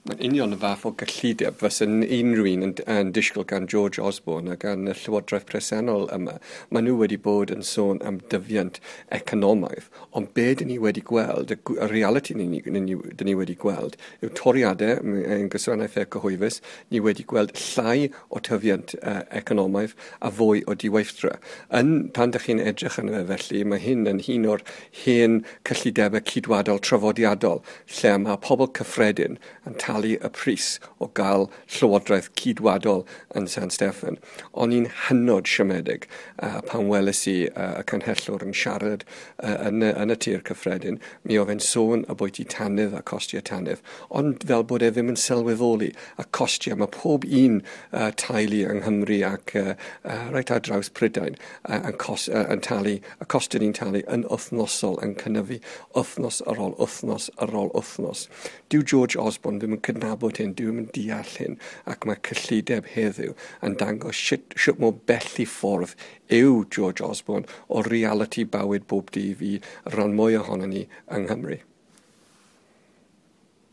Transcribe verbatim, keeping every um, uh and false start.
Mae'n union y fath o gyllideb fysa'n unrhyw un yn, yn disgwyl gan George Osborne a gan y llywodraeth presennol yma. Maen nhw wedi bod yn sôn am dyfiant economaidd, ond be dyn ni wedi gweld, y, y reality ni, ni, ni, dyn ni wedi gweld, yw toriadau yn gwasanaethau cyhoeddus. Ni wedi gweld llai o tyfiant uh, economaidd a fwy o diweithdra. Yn, pan dych chi'n edrych yn fe felly, mae hyn yn un o'r hen cyllidebau cydwadol traddodiadol, lle mae pobl cyffredin yn talu y pris o gael llywodraeth cydwadol yn San Steffan. O'n i'n hynod siomedig uh, pan weles i uh, y canghellor yn siarad uh, yn, y, yn y tir cyffredin. Mi oedd e'n sôn ambwyti tanwydd a costiau tanwydd, ond fel bod e ddim yn sylweddoli y costiau. Mae pob un uh, teulu yng Nghymru ac uh, uh, reit ar draws Prydain uh, yn, cos, uh, yn talu, y costau ni'n talu yn wythnosol, yn cynyddu wythnos ar ôl wythnos ar ôl wythnos. Dyw George Osborne ddim yn cydnabod hyn, dyw ddim yn deall hyn, ac mae cyllideb heddiw yn dangos sut, sut mor bell i ffordd yw George Osborne o reality bywyd bob dydd i ran mwy ohonon ni yng Nghymru.